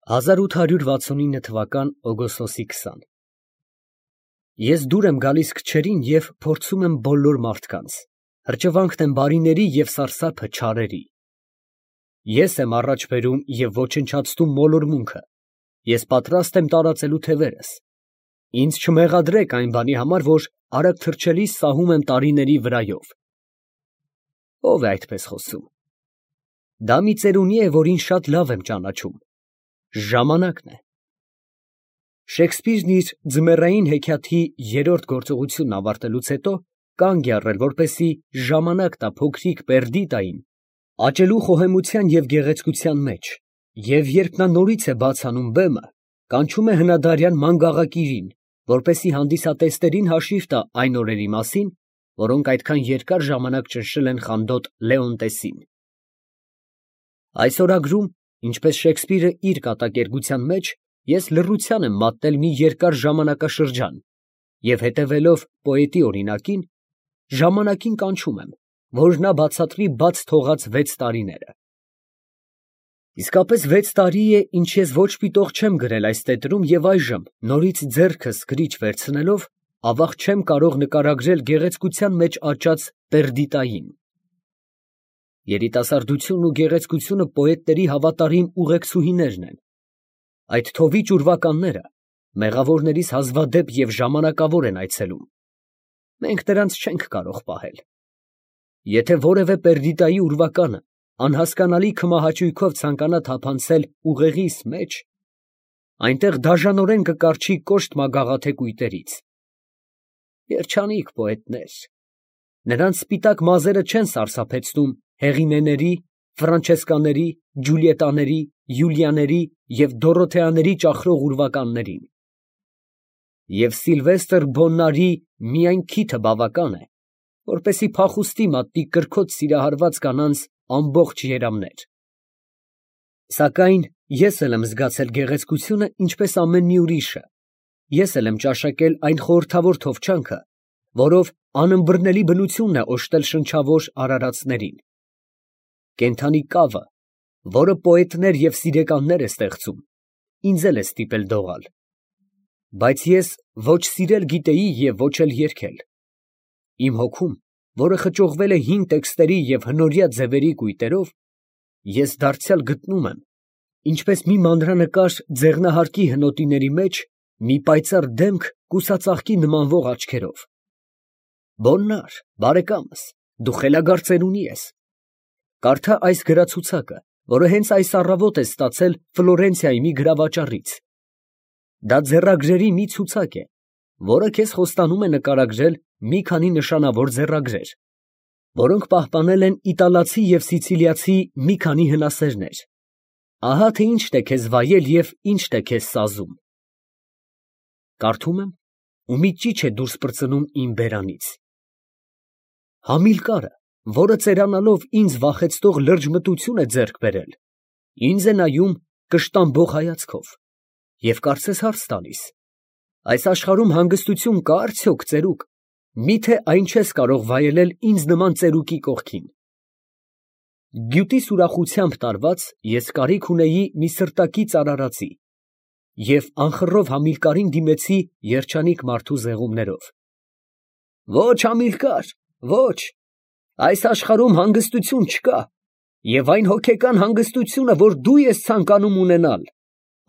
1869 թվական օգոստոսի 20 Ես դուր եմ գալիս քչերին և փորձում եմ բոլոր մարդկանց, հրճվանքն եմ բարիների և սարսափը չարերի։ Ես եմ առաջ բերում և ոչնչացնում մոլորմունքը, ես պատրաստ եմ տարածելու թևերս, ինձ չմեղադրեք այն բանի համար, որ արագ թռչելիս սահում եմ տարիների վրայով։ Ո՞վ է այդպես խոսում։ Դա մի ծերունի է, որին շատ լավ եմ ճանաչում։ Ժամանակն է։ Շեքսպիրն իր ձմեռային հեքիաթի երրորդ գործողությունն ավարտելուց հետո կանգ է առել, որպեսզի ժամանակ տա փոքրիկ Պերդիդային աճելու խոհեմության և գեղեցկության մեջ, և երբ նա նորից է բաց անում բեմը, կանչում է հնադարյան մանգաղակիրին, որպեսզի հանդիսատեսներին հաշիվ տա այն օրերի մասին, որոնք այդքան երկար ժամանակ ճնշել են խանդոտ Լեոնտեսին։ Այս օրագրում, ինչպես Շեքսպիրը իր կատակերգության մեջ, ես լռության եմ մատնել մի երկար ժամանակաշրջան և, հետևելով պոետի օրինակին, ժամանակին կանչում եմ, որ նա բացատրի բաց թողած 6 տարիները։ Իսկապես 6 տարի է, ինչ ես ոչ պիտող չեմ գրել այս տետրում և այժմ, նորից ձեռքս գրիչ վերցնելով, ավաղ չեմ կարող նկարագրել գեղեցկության մեջ աճած Պերդիդային։ Երիտասարդությունն ու գեղեցկությունը պոետների հավատարիմ ուղեկցուհիներն են։ Այդ թովիչ ուրվականները մեղավորներիս հազվադեպ և ժամանակավոր են այցելում։ Մենք նրանց չենք կարող պահել։ Եթե որևէ Պերդիդայի ուրվականը անհասկանալի քմահաճույքով ցանկանա թափանցել ուղեղիս մեջ, այնտեղ դաժանորեն կկառչի կոշտ մագաղաթե կույտերից։ Երջանիկ պոետներ, նրանց սպիտակ մազերը չեն սարսափեցնում Հեղինեների, Ֆրանչեսկաների, Ջուլիետաների, Յուլիաների և Դորոթեաների ճախրող ուրվականներին։ Եվ Սիլվեստր Բոննարի միայն քիթը բավական է, որպեսզի փախուստի մատնի կրքոտ սիրահարված կանանց ամբողջ երամներ։ Սակայն ես էլ եմ զգացել գեղեցկությունը, ինչպես ամեն մի ուրիշը, ես էլ եմ ճաշակել այն խորհրդավոր թովչանքը, որով անըմբռնելի բնությունն է օժտել շնչավոր արարածներին։ Կենդանի կավը, որը պոետներ և սիրեկաններ է ստեղծում, ինձ էլ է ստիպել դողալ։ Բայց ես ոչ սիրել գիտեի և ոչ էլ երգել։ Իմ հոգում, որը խճողվել է հին տեքստերի և հնորյա ձևերի կույտերով, ես դարձյալ գտնում եմ, ինչպես մի մանրանկար ձեղնահարկի հնոտիների մեջ, մի պայծառ դեմք կուսածաղկի նմանվող աչքերով։ Բոննար, բարեկամս, դու խելագար ծերունի ես։ Կարդա այս գրացուցակը, որը հենց այս առավոտ ես ստացել Ֆլորենցիայի մի գրավաճառից։ Դա ձեռագրերի մի ցուցակ է, որը քեզ խոստանում է նկարագրել մի քանի նշանավոր ձեռագրեր, որոնք պահպանել են իտալացի և սիցիլիացի մի քանի հնասերներ։ Ահա թե ինչն է քեզ վայել և ինչն է քեզ սազում։ Կարդում եմ, ու մի ճիչ է դուրս պրծնում իմ բերանից։ Համիլկարը, որը ծերանալով ինձ վախեցնող լրջմտություն է ձեռք բերել, ինձ է նայում կշտամբող հայացքով և կարծես հարց տալիս. այս աշխարհում հանգստություն կա՞ արդյոք, ծերուկ, միթե այն չես կարող վայելել ինձ նման ծերուկի կողքին։ Գյուտիս ուրախությամբ տարված, ես կարիք ունեի մի սրտակից արարածի և անխռով Համիլկարին դիմեցի երջանիկ մարդու զեղումներով. Ոչ, Համիլկար, ոչ, այս աշխարհում հանգստություն չկա, և այն հոգեկան հանգստությունը, որ դու ես ցանկանում ունենալ,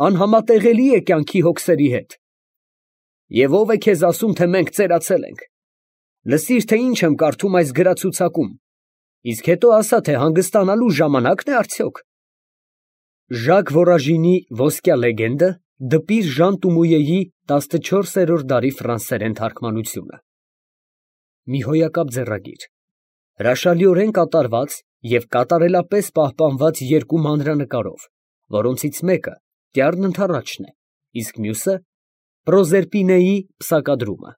անհամատեղելի է կյանքի հոգսերի հետ։ Եվ ո՞վ է քեզ ասում, թե մենք ծերացել ենք։ Լսիր, թե ինչ եմ կարդում այս գրացուցակում, իսկ հետո ասա, թե հանգստանալու ժամանակն է արդյոք։ Ժակ Վորաժինի ոսկյա լեգենդը, դպիր Ժան Տումույեի 14-րդ դարի ֆրանսերեն թարգմանությունը։ Մի հոյակապ ձեռագիր, հրաշալիորեն կատարված և կատարելապես պահպանված երկու մանրանկարով, որոնցից մեկը Տյառն ընդառաջն է, իսկ մյուսը Պրոզերպինեի պսակադրումը։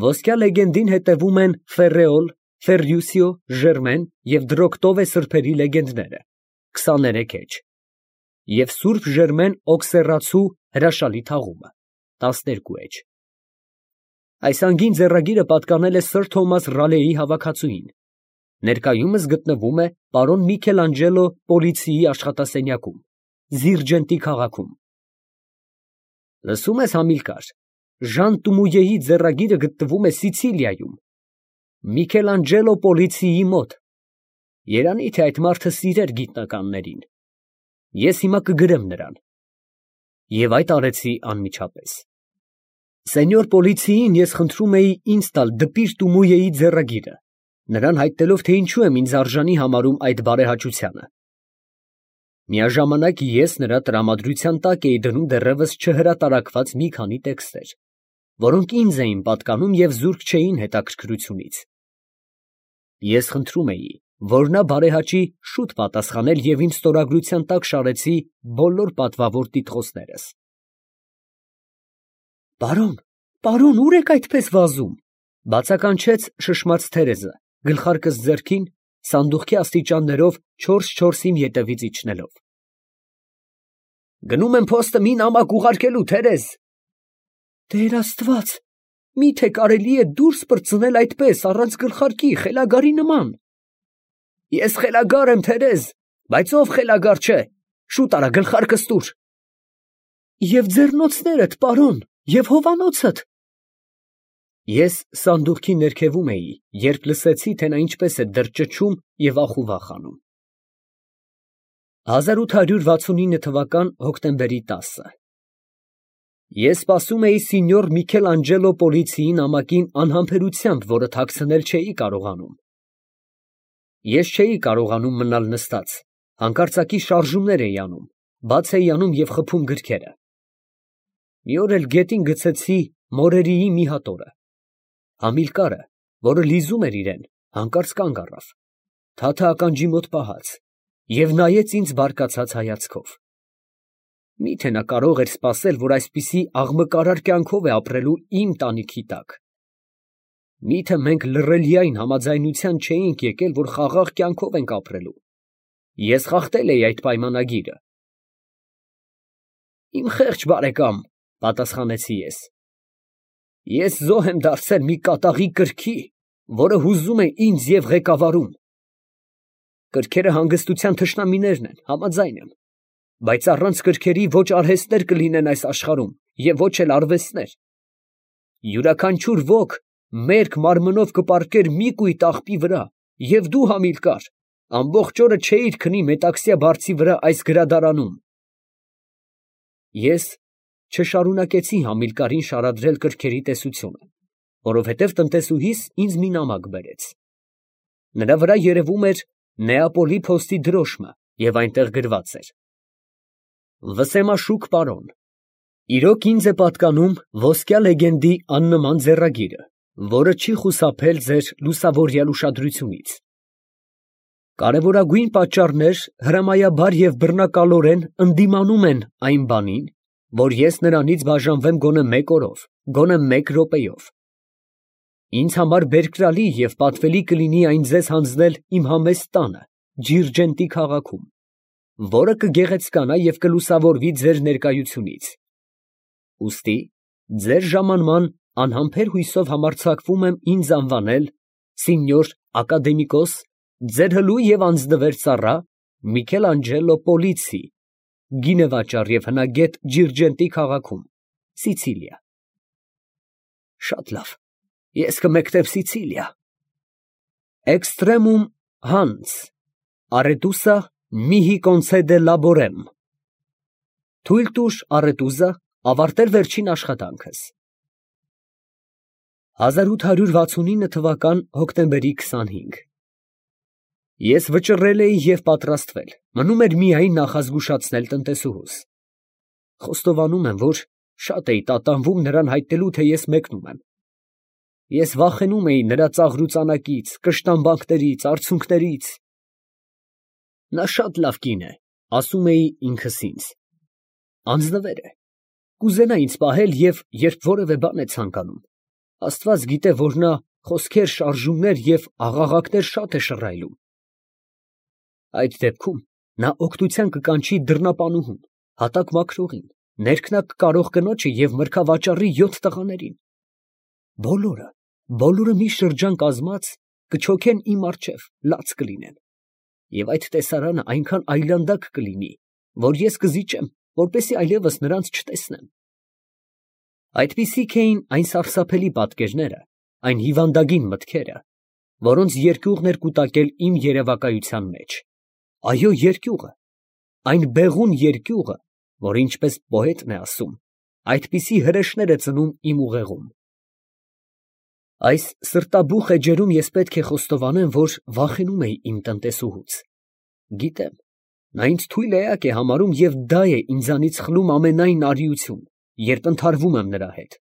Ոսկյա լեգենդին հետևում են Ֆերրեոլ, Ֆերրյուսիո, Ժերմեն և Դրոկտովե սրբերի լեգենդները, 23 էջ, և Սուրբ Ժերմեն Օքսերացու հրաշալի թաղումը, 12 էջ։ Այս անգին ձեռագիրը պատկանել է սըր Թոմաս Ռալեի հավաքածուին, ներկայումս գտնվում է պարոն Միքելանջելո Պոլիցիի աշխատասենյակում։ Զիրջենտի քաղաքում։ Լսում ես, Համիլկար, Ժան Տումույեի ձեռագիրը գտնվում է Սիցիլիայում, Միքելանջելո Պոլիցիի մոտ։ Երանի թե այդ մարդը սիրեր գիտնականներին։ Ես հիմա կգրեմ նրան։ Եվ այդ արեցի անմիջապես։ Սենյոր Պոլիցիին ես խնդրում էի ինձ տալ դպիր Տումույեի ձեռագիրը, նրան հայտնելով, թե ինչու եմ ինձ արժանի համարում այդ բարեհաճությանը։ Միաժամանակ ես նրա տրամադրության տակ էի դնում դեռևս չհրատարակված մի քանի տեքստեր, որոնք ինձ էին պատկանում և զուրկ չէին հետաքրքրությունից։ Ես խնդրում էի, որ նա բարեհաճի շուտ պատասխանել և իմ ստորագրության տակ շարեցի բոլոր պատվավոր տիտղոսներս։ Պարոն, ուր եք այդպես վազում, բացականչեց շշմած Թերեզը, գլխարկս ձեռքին, սանդուղքի աստիճաններով 4-4 իմ ետևից իջնելով։ Գնում եմ փոստը մի նամակ ուղարկելու, Թերեզ։ Տեր Աստված, միթե կարելի է դուրս պրծնել այդպես, առանց գլխարկի, խելագարի նման։ Ես խելագար եմ, Թերեզ, բայց ով խելագար չէ, շուտ արա գլխարկս տուր։ Եվ ձեռնոցներդ, պարոն, և հովանոցդ։ Ես սանդուղքի ներքևում էի, երբ լսեցի, թե նա ինչպես է դրճճում և ախուվախ անում։ 1869 թվական հոկտեմբերի 10-ը։ Ես սպասում էի սինյոր Միքելանջելո Պոլիցիի նամակին անհամբերությամբ, որը թաքցնել չէի կարողանում։ Ես չէի կարողանում մնալ նստած, հանկարծակի շարժումներ էի անում, բաց էի անում և խփում գրքերը։ Մի օր էլ գետին գցեցի մորերիի մի հատորը։ Համիլկարը, որը լիզում էր իրեն, հանկարծ կանգ առավ, թաթը ականջի մոտ պահած, և նայեց ինձ բարկացած հայացքով։ Միթե նա կարող էր սպասել, որ այսպիսի աղմկարար կյանքով է ապրելու իմ տանիքի տակ։ Միթե մենք լռելիային համաձայնության չէինք եկել, որ խաղաղ կյանքով ենք ապրելու։ Ես խախտել էի այդ պայմանագիրը։ Իմ խեղճ բարեկամ, պատասխանեցի ես։ Ես զոհ եմ դարձել մի կատաղի կրքի, որը հուզում է ինձ և ղեկավարում։ Կրքերը հանգստության թշնամիներն են, համաձայն եմ, բայց առանց կրքերի ոչ արհեստներ կլինեն այս աշխարհում և ոչ էլ արվեստներ։ Յուրաքանչյուր ոք մերկ մարմնով կպառկեր մի կույտ աղբի վրա, և դու, Համիլկար, ամբողջ օրը չէիր քնի Մետաքսյա բարձի վրա այս գրադարանում։ Ես չշարունակեցի Համիլկարին շարադրել կրքերի տեսությունը, որովհետև տնտեսուհիս ինձ մի նամակ բերեց։ Նրա վրա երևում էր Նեապոլի փոստի դրոշմը և այնտեղ գրված էր. Վսեմաշուք պարոն, իրոք ինձ է պատկանում ոսկյա լեգենդի աննման ձեռագիրը, որը չի խուսափել ձեր լուսավորյալ ուշադրությունից։ Կարևորագույն պատճառներ հրամայաբար և բռնակալորեն ընդդիմանում են այն բանին, որ ես նրանից բաժանվեմ գոնե մեկ օրով, գոնե մեկ րոպեով։ Ինձ համար բերկրալի և պատվելի կլինի այն ձեզ հանձնել իմ համեստ տանը, Ջիրջենտի քաղաքում, որը կգեղեցկանա և կլուսավորվի ձեր ներկայությունից։ Ուստի ձեր ժամանման անհամբեր հույսով համարձակվում եմ ինձ անվանել Սինյոր Ակադեմիկոս, ձեր հլու և անձնվեր ծառա Միքելանջելո Պոլիցի, գինեվաճառ և հնագետ Ջիրջենտի քաղաքում, Սիցիլիա։ Շատ լավ, ես կմեկնեմ Սիցիլիա։ Extremum Hans, Aretusa mihi concede laborem։ Թույլ տուր, Արետուզա, ավարտել վերջին աշխատանքս։ 1869 թվական հոկտեմբերի 25։ Ես վճռել էի և պատրաստվել, մնում էր միայն նախազգուշացնել տնտեսուհուս։ Խոստովանում եմ, որ շատ էի տատանվում նրան հայտնելու, թե ես մեկնում եմ։ Ես վախենում էի նրա ծաղրուծանակից, կշտամբանքներից, արցունքներից։ Նա շատ լավ կին է, ասում էի ինքս ինձ։ Անձնվեր է, կուզենա ինձ պահել և երբ որևէ բան է ցանկանում, Աստված գիտե, որ նա խոսքեր, շարժումներ և աղաղակներ շատ է շռայլում։ Այդ դեպքում նա օգնության կկանչի դռնապանուհուն, հատակ մաքրողին, ներքնակ կարող կնոջը և մրգավաճառի 7 տղաներին։ Բոլորը մի շրջան կազմած կչոքեն իմ առջև, լաց կլինեն, և այդ տեսարանը այնքան այլանդակ կլինի, որ ես կզիջեմ, որպեսզի այլևս նրանց չտեսնեմ։ Այդպիսիք էին այն սարսափելի պատկերները, այն հիվանդագին մտքերը, որոնց երկյուղն էր կուտակել իմ երևակայության մեջ։ Այո, երկյուղը, այն բեղուն երկյուղը, որ ինչպես պոետն է ասում, այդպիսի հրեշներ է ծնում իմ ուղեղում։ Այս սրտաբուխ էջերում ես պետք է խոստովանեմ, որ վախենում էի իմ տնտեսուհուց։ Գիտեմ, նա ինձ թույլ էակ է համարում և դա է ինձանից խլում ամենայն արիություն, երբ ընդհարվում եմ նրա հետ։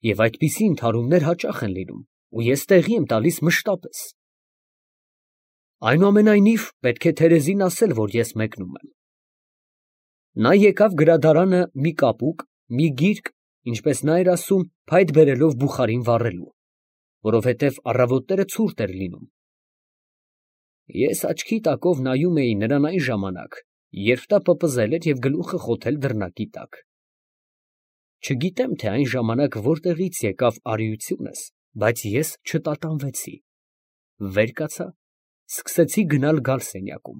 Եվ այդպիսի ընդհարումներ հաճախ են լինում, ու ես տեղի եմ տալիս մշտապես։ Այնուամենայնիվ, պետք է Թերեզին ասել, որ ես մեկնում եմ։ Նա եկավ գրադարանը մի կապուկ, մի գիրք, ինչպես նա էր ասում, փայտ բերելով բուխարին վառելու, որովհետև առավոտները ցուրտ էր լինում։ Ես աչքի տակով նայում էի նրան այն ժամանակ, երբ նա պպզել էր և գլուխը խոթել դռնակի տակ։ Չգիտեմ, թե այն ժամանակ որտեղից եկավ արիությունս, բայց ես չտատանվեցի, վեր կացա, սկսեցի գնալ֊գալ սենյակում։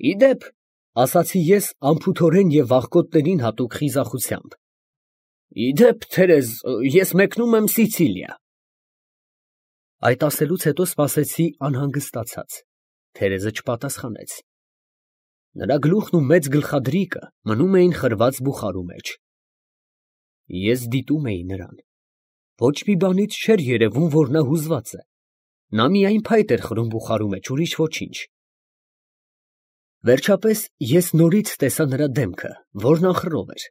«Ի դեպ, ֊ ասացի ես անփութորեն և աղքոտներին հատուկ խիզախությամբ, ֊ ի դեպ, Թերեզ, ես մեկնում եմ Սիցիլիա»։ Այդ ասելուց հետո սպասեցի անհանգստացած։ Թերեզը չպատասխանեց։ Նրա գլուխն ու մեծ գլխադրիկը մնում էին խրված բուխարու մեջ։ Ես դիտում էի նրան։ Ոչ մի բանից չէր երևում, որ նա հուզված է։ Նա միայն փայտ էր խրում բուխարու մեջ, ուրիշ ոչինչ։ Վերջապես ես նորից տեսա նրա դեմքը, որն անխռով էր,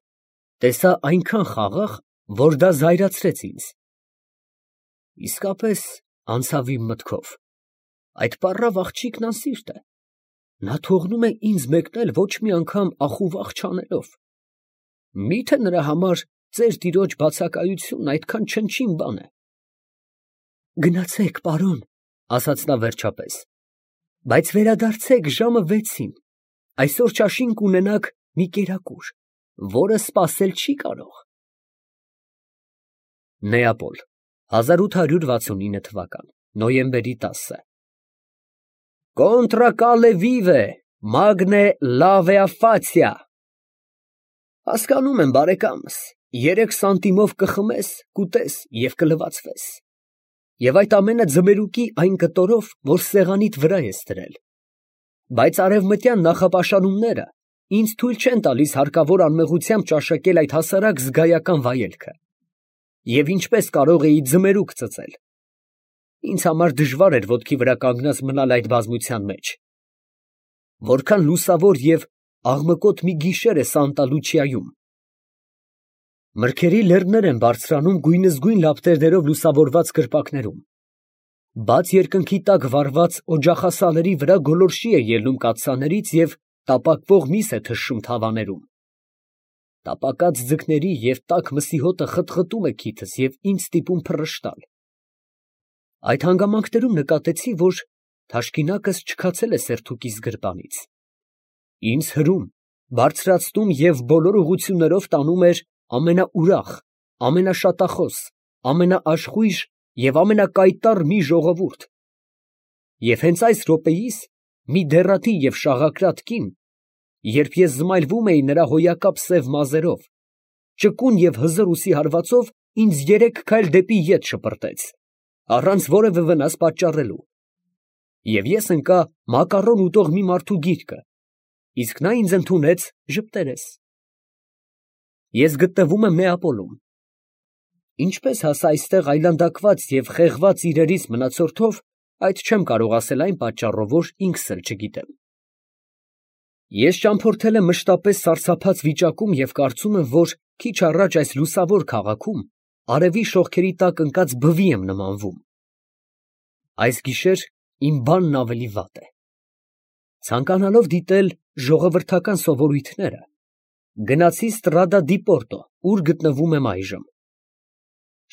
տեսա այնքան խաղաղ, որ դա զայրացրեց ինձ։ Իսկապես անցավ իմ մտքով, այդ պառավ աղջիկն անսիրտ է, նա թողնում է ինձ մեկնել ոչ մի անգամ ախուվախ չանելով։ Մի՞թե նրա համար ծեր տիրոջ բացակայությունն այդքան չնչին բան է։ Գնացեք, պարոն, ֊ ասաց նա վերջապես, ֊ բայց վերադարձեք ժամը 6-ին, այսօր ճաշին կունենաք մի կերակուր, որը սպասել չի կարող։ Նեապոլ, 1869 թվական, նոյեմբերի 10 Կոնտրա կալե վիվե, մագնե լավեա ֆացիա։ Հասկանում եմ, բարեկամս, 3 սանտիմով կխմես, կուտես և կլվացվես։ Եվ այդ ամենը ձմերուկի այն կտորով, որ սեղանիդ վրա ես դրել։ Բայց արևմտյան նախապաշարումները ինձ թույլ չեն տալիս հարկավոր անմեղությամբ ճաշակել այդ հասարակ զգայական վայելքը։ Եվ ինչպես կարող էի ձմերուկ ծծել։ Ինձ համար դժվար էր ոտքի վրա կանգնած մնալ այդ բազմության մեջ։ Որքան լուսավոր և աղմկոտ մի գիշեր է Սանտա Լուչիայում։ Մրգերի լեռներ են բարձրանում գույնզգույն լապտերներով լուսավորված կրպակներում։ Բաց երկնքի տակ վառված օջախասալերի վրա գոլորշի է ելնում կաթսաներից և տապակվող միս է թշում թավաներում։ Տապակած ձկների և տաք մսի հոտը խտխտում է քիթս և ինձ ստիպում փռշտալ։ Այդ հանգամանքներում նկատեցի, որ թաշկինակս չքացել է սերթուկիս գրպանից։ Ինձ հրում, բարձրացնում և բոլոր ուղղություններով տանում էր ամենաուրախ, ամենաշատախոս, ամենաաշխույժ և ամենակայտառ մի ժողովուրդ։ Եվ հենց այս րոպեիս մի դեռատի և շաղակրատ կին, երբ ես զմայլվում էի նրա հոյակապ սև մազերով, ճկուն և հզոր ուսի հարվածով ինձ 3 քայլ դեպի ետ շպրտեց, առանց որևէ վնաս պատճառելու, և ես ընկա մակարոն ուտող մի մարդու գիրկը, իսկ նա ինձ ընդունեց ժպտերես։ Ես գտնվում եմ Նեապոլում։ Ինչպես հասա այստեղ այլանդակված և խեղված իրերից մնացորդով, այդ չեմ կարող ասել այն պատճառով, որ ինքս էլ չգիտեմ։ Ես ճամփորդել եմ մշտապես սարսափած վիճակում և կարծում եմ, որ քիչ առաջ այս լուսավոր քաղաքում արևի շողքերի տակ ընկած բվի եմ նմանվում։ Այս գիշեր իմ բանն ավելի վատ է։ Ցանկանալով դիտել ժողովրդական սովորույթները, գնացի Ստրադա դի Պորտո, ուր գտնվում եմ այժմ։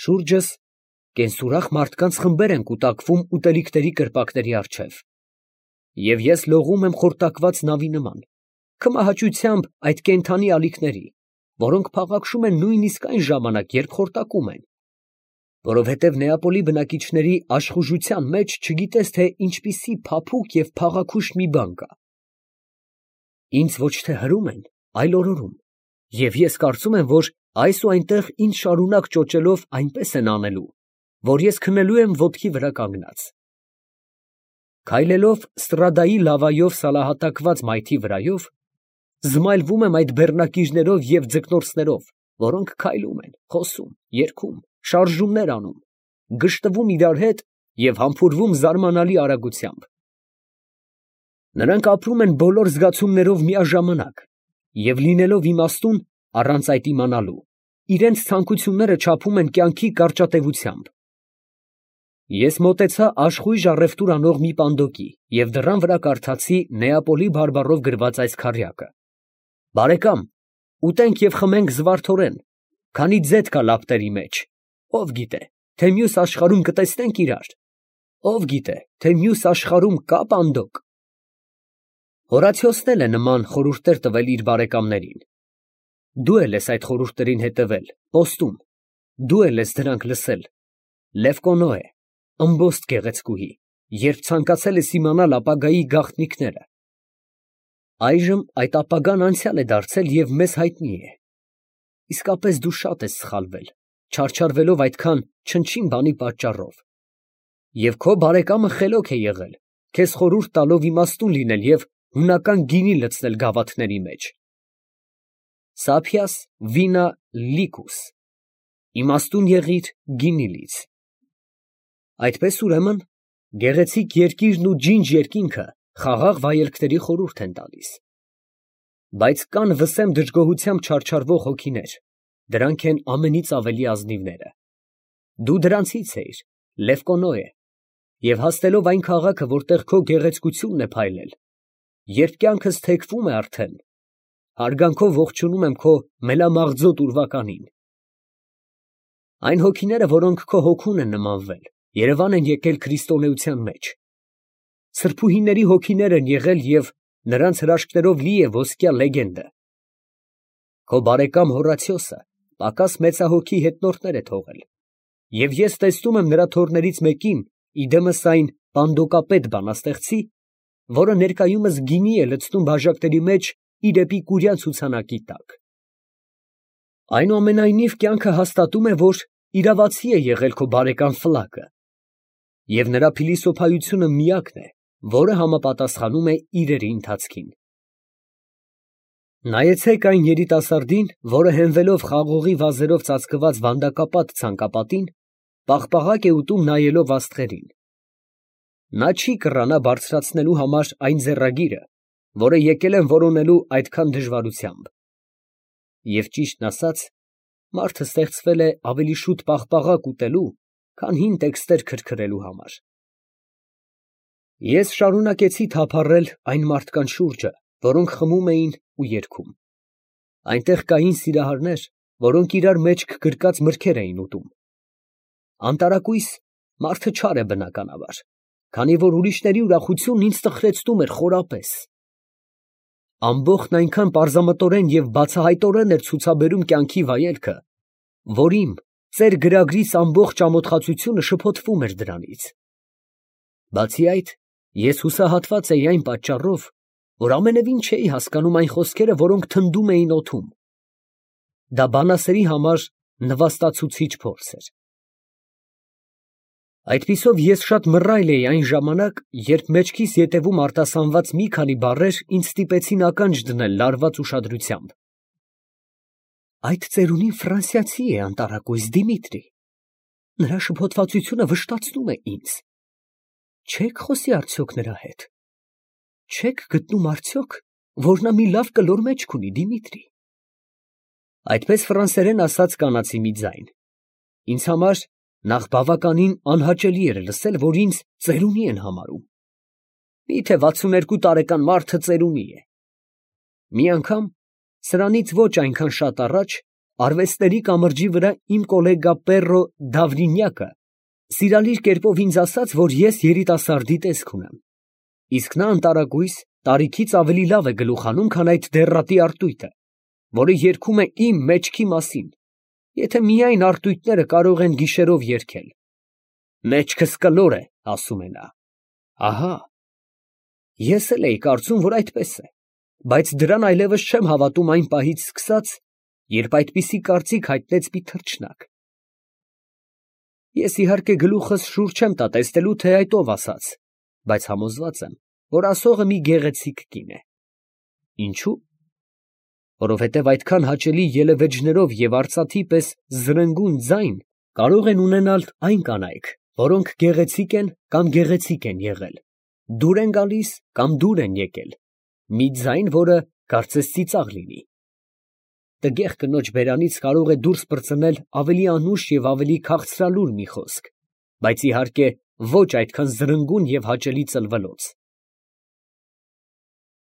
Շուրջս կենսուրախ մարդկանց խմբեր են կուտակվում ուտելիքների կրպակների առջև։ Եվ ես լողում եմ խորտակված նավի նման, քմահաճությամբ այդ կենդանի ալիքների, որոնք փաղաքշում են նույնիսկ այն ժամանակ, երբ խորտակում են, որովհետև Նեապոլի բնակիչների աշխուժության մեջ չգիտես, թե ինչպիսի փափուկ և փաղաքուշ մի բան կա։ Ինձ ոչ թե հրում են, այլ օրորում, և ես կարծում եմ, որ այս ու այնտեղ ինձ շարունակ ճոճելով այնպես են անելու, որ ես քնելու եմ ոտքի վրա կանգնած։ Քայլելով Ստրադայի լավայով սալահատակված մայթի վրայով, զմայլվում եմ այդ բեռնակիրներով և ձկնորսներով, որոնք քայլում են, խոսում, երգում, շարժումներ անում, գժտվում իրար հետ և համբուրվում զարմանալի արագությամբ։ Նրանք ապրում են բոլոր զգացումներով միաժամանակ և լինելով իմաստուն առանց այդ իմանալու, իրենց ցանկությունները չափում են կյանքի կարճատևությամբ։ Ես մոտեցա աշխույժ առևտուր անող մի պանդոկի և դռան վրա կարդացի Նեապոլի բարբառով գրված այս քառյակը. «Բարեկամ, ուտենք և խմենք զվարթորեն, քանի ձեթ կա լապտերի մեջ, ով գիտե, թե մյուս աշխարհում կտեսնենք իրար, ով գիտե, թե մյուս աշխարհում կա պանդոկ»։ Հորացիոսն էլ է նման խորհուրդներ տվել իր բարեկամներին։ Դու էլ ես այդ խորհուրդներին հետևել, պոստում, դու էլ ես դրանք լսել, Լևկոնոե, ըմբոստ գեղեցկուհի, երբ ցանկացել ես իմանալ ապագայի գաղտնիքները։ Այժմ այդ ապագան անցյալ է դարձել և մեզ հայտնի է։ Իսկապես դու շատ ես սխալվել, չարչարվելով այդքան չնչին բանի պատճառով։ Եվ քո բարեկամը խելոք է եղել, քեզ խորհուրդ տալով իմաստուն լինել և հունական գինի լցնել գավաթների մեջ։ Սափիաս վինա լիկուս, իմաստուն եղիր, գինի լից։ Այդպես ուրեմն, գեղեցիկ երկիրն ու ջինջ երկինքը խաղաղ վայելքների խորհուրդ են տալիս։ Բայց կան վսեմ դժգոհությամբ չարչարվող հոգիներ, դրանք են ամենից ավելի ազնիվները։ Դու դրանցից էիր, Լևկոնոե, և հասնելով այն քաղաքը, որտեղ քո գեղեցկությունն է փայլել, երբ կյանքս թեքվում է արդեն, հարգանքով ողջունում եմ քո մելամաղձոտ ուրվականին։ Այն հոգիները, որոնք քո հոգուն են նմանվել, երևան են եկել քրիստոնեության մեջ։ Սրբուհիների հոգիներ են եղել և նրանց հրաշքներով լի է ոսկյա լեգենդը։ Քո բարեկամ Հորացիոսը պակաս մեծահոգի հետնորդներ է թողել, և ես տեսնում եմ նրա թոռներից մեկին, իդեմս այն պանդոկապետ բանաստեղծի, որը ներկայումս գինի է լցնում բաժակների մեջ իր էպիկուրյան ցուցանակի տակ։ Այնուամենայնիվ կյանքը հաստատում է, որ իրավացի է եղել քո բարեկամ Ֆլակը, և նրա փիլիսոփայությունը միակն է, որը համապատասխանում է իրերի ընթացքին։ Նայեցեք այն երիտասարդին, որը հենվելով խաղողի վազերով ծածկված վանդակապատ ցանկապատին, պաղպաղակ է ուտում նայելով աստղերին։ Նա չի կռանա բարձրացնելու համար այն ձեռագիրը, որը եկել են որոնելու այդքան դժվարությամբ։ Եվ ճիշտն ասած, մարդը ստեղծվել է ավելի շուտ պաղպաղակ ուտելու, քան հին տեքստեր քրքրելու համար։ Ես շարունակեցի թափառել այն մարդկանց շուրջը, որոնք խմում էին ու երգում։ Այնտեղ կային սիրահարներ, որոնք իրար մեջք գրկած մրգեր էին ուտում։ Անտարակույս մարդը չար է բնականաբար, քանի որ ուրիշների ուրախությունն ինձ տխրեցնում էր խորապես։ Ամբոխն այնքան պարզամտորեն և բացահայտորեն էր ցուցաբերում կյանքի վայելքը, որ իմ ծեր գրագրիս ամբողջ ամոթխածությունը շփոթվում էր դրանից։ Բացի այդ, ես հուսահատված էի այն պատճառով, որ ամենևին չէի հասկանում այն խոսքերը, որոնք թնդում էին օդում։ Դա բանասերի համար նվաստացուցիչ փորձ էր։ Այդպիսով ես շատ մռայլ էի այն ժամանակ, երբ մեջքիս ետևում արտասանված մի քանի բառեր ինձ ստիպեցին ականջ դնել լարված ուշադրությամբ։ Այդ ծերունին ֆրանսիացի է, անտարակույս Դիմիտրի։ Նրա շփոթվածությունը վշտացնում է ինձ։ Չե՞ք խոսի արդյոք նրա հետ։ Չե՞ք գտնում արդյոք, որ նա մի լավ կլոր մեջք ունի, Դիմիտրի։ Այդպես ֆրանսերեն ասաց կանացի մի ձայն։ Ինձ համար նախ բավականին անհաճելի էր լսել, որ ինձ ծերունի են համարում։ Միթե 62 տարեկան մարդը ծերունի է։ Մի անգամ, սրանից ոչ այնքան շատ առաջ, արվեստների կամրջի վրա իմ կոլեգա Պերրո Դավրինյակը սիրալիր կերպով ինձ ասաց, որ ես երիտասարդի տեսք ունեմ, իսկ նա անտարակույս տարիքից ավելի լավ է գլուխանում, քան այդ դեռատի արտույտը, որը երգում է իմ մեջքի մասին, եթե միայն արտույտները կարող են գիշերով երգել։ Մեջքս կլոր է, ասում է նա։ Ահա, ես էլ էի կարծում, որ այդպես է, բայց դրան այլևս չեմ հավատում այն պահից սկսած, երբ այդպիսի կարծիք հայտնեց մի թռչնակ։ Ես իհարկե գլուխս շուռ չեմ տա տեսնելու, թե այդ ով ասաց, բայց համոզված եմ, որ ասողը մի գեղեցիկ կին է։ Ինչո՞ւ։ Որովհետև այդքան հաճելի ելևէջներով և արծաթի պես զրնգուն ձայն կարող են ունենալ այն կանայք, որոնք գեղեցիկ են կամ գեղեցիկ են եղել, դուր են գալիս կամ դուր են եկել, մի ձայն, որը կարծես ծիծաղ լինի։ Տգեղ կնոջ բերանից կարող է դուրս պրծնել ավելի անուշ և ավելի քաղցրալուր մի խոսք, բայց իհարկե ոչ այդքան զրնգուն և հաճելի ծլվելոց։